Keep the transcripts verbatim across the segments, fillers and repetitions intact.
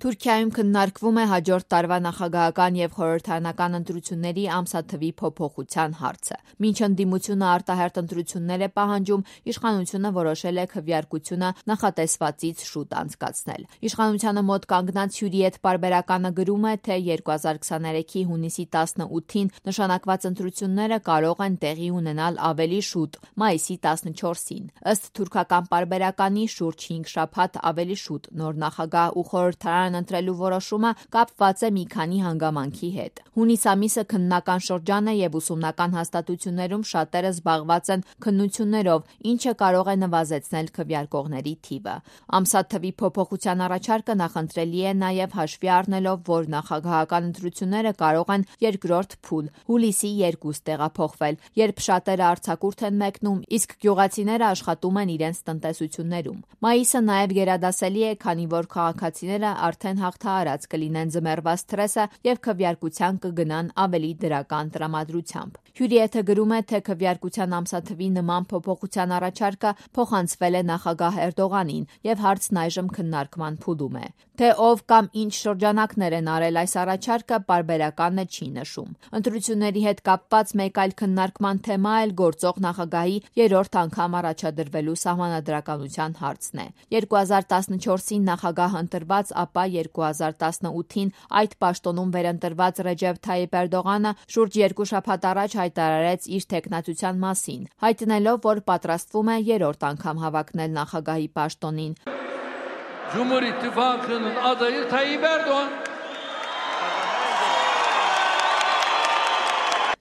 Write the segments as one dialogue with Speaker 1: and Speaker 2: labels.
Speaker 1: Թուրքիայում քննարկվում է հաջորդ տարվա նախագահական եւ խորհրդարանական ընտրությունների ամսաթվի փոփոխության հարցը։ Մինչ ընդդիմությունը արտահերթ ընտրություններ է պահանջում, իշխանությունը որոշել է քվեարկությունը նախատեսվածից շուտ անցկացնել։ Իշխանությանը մոտ կանգնած Հյուրիետ պարբերականը գրում է, թե երկու հազար քսաներեքի հունիսի տասնութին նշանակված ընտրությունները կարող են տեղի ունենալ ավելի շուտ՝ մայիսի տասնչորսին։ Ըստ թուրքական պարբերականի, շուրջ հինգ շաբաթ ավելի շուտ նոր նախագահ ու խորհրդարան ընտրելու որոշումը կապված է մի քանի հանգամանքի հետ։ Հունիս ամիսը քննական շրջան է եւ ուսումնական հաստատություններում շատերը զբաղված են քննություններով, ինչը կարող է նվազեցնել քվեարկողների թիվը։ Ամսաթվի փոփոխության առաջարկը նախընտրելի է նաեւ հաշվի առնելով, որ նախագահական ընտրությունները կարող են երկրորդ փուլ՝ հուլիսի երկուս տեղափոխվել, երբ շատերը արձակուրդ են մեկնում, իսկ գյուղացիները աշխատում են իրենց տնտեսություններում։ Մայիսը նաեւ գերադասելի է, քանի որ քաղաքացիները արդեն հաղթահարած կլինեն ձմեռվա սթրեսը եւ քվեարկության կգնան ավելի դրական տրամադրությամբ։ Հյուրիեթը գրում է, թե քվեարկության ամսաթվի նման փոփոխության առաջարկը փոխանցվել է նախագահ Էրդողանին եւ հարցն այժմ քննարկման փուլում է։ Թե ով կամ ինչ շրջանակներ են արել այս առաջարկը, պարբերականը չի նշում։ Ընտրությունների հետ կապված մեկ այլ քննարկման թեմա էլ գործող նախագահի երրորդ անգամ առաջադրվելու սահմանադրականության հարցն է։ երկու հազար տասնչորսին նախագահ ընտրված, ապա երկու հազար տասնութին այդ պաշտոնում վերընտրված Ռեջեփ Թայիփ Էրդողանը շուրջ երկու շաբաթ առաջ հայտարարեց իր թեկնածության մասին, հայտնելով, որ պատրաստվում է երրորդ անգամ հավակնել նախագահի պաշտոնին։
Speaker 2: Cumhur İttifakı'nın adayı Tayyip Erdoğan.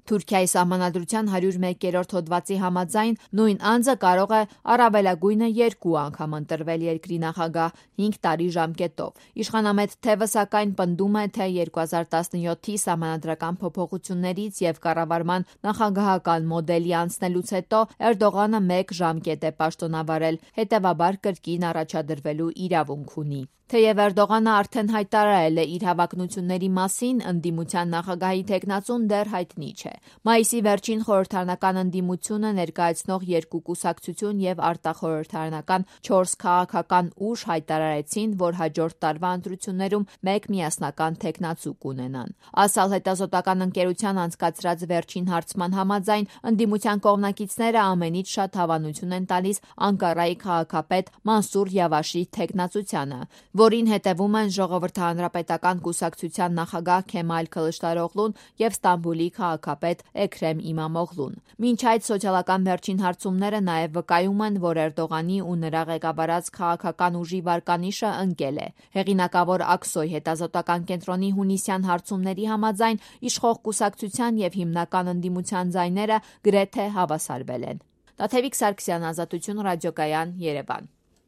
Speaker 1: Թուրքիայի սահմանադրության հարյուր մեկերորդ հոդվածի համաձայն նույն անձը կարող է առավելագույնը երկու անգամ ընտրվել երկրի նախագահ հինգ տարի ժամկետով։ Իշխանամետ թևը սակայն պնդում է, թե երկու հազար տասնյոթի սահմանադրական փոփոխություններից եւ կառավարման նախագահական մոդելի անցնելուց հետո Էրդողանը մեկ ժամկետ է պաշտոնավարել, հետեւաբար կրկին առաջադրվելու իրավունք ունի։ Թեև Էրդողանը արդեն հայտարարել է իր հավակնությունների մասին, ընդդիմության նախագահի թեկնածուն դեռ հայտնի չէ։ Մայիսի վերջին խորհրդարանական ընդդիմությունը ներկայացնող երկու կուսակցություն եւ արտախորհրդարանական չորս քաղաքական ուժ հայտարարեցին, որ հաջորդ տարվա ընտրություններում մեկ միասնական թեկնածու կունենան։ Ասալ հետազոտական ընկերության անցկացրած վերջին հարցման համաձայն, ընդդիմության կողմնակիցները ամենից շատ հավանություն են տալիս Անկարայի քաղաքապետ Մանսուր Յավաշի թեկնածությանը, որին հետևում են Ժողովրդահանրապետական կուսակցության նախագահ Քեմալ Քլշտարօղլուն եւ Ստամբուլի քաղաքապետ Էքրեմ Իմամօղլուն։ Մինչ այդ սոցիալական վերջին հարցումները նաեւ վկայում են, որ Էրդողանի ու նրա ղեկավարած քաղաքական ուժի վարկանիշը ընկել է։ Հեղինակավոր Աքսոյ հետազոտական կենտրոնի հունիսյան հարցումների համաձայն իշխող կուսակցության եւ հիմնական ընդդիմության ձայները գրեթե հավասարվել են։ Տաթևիկ Սարգսյան, Ազատություն ռադիոկայան, Երևան։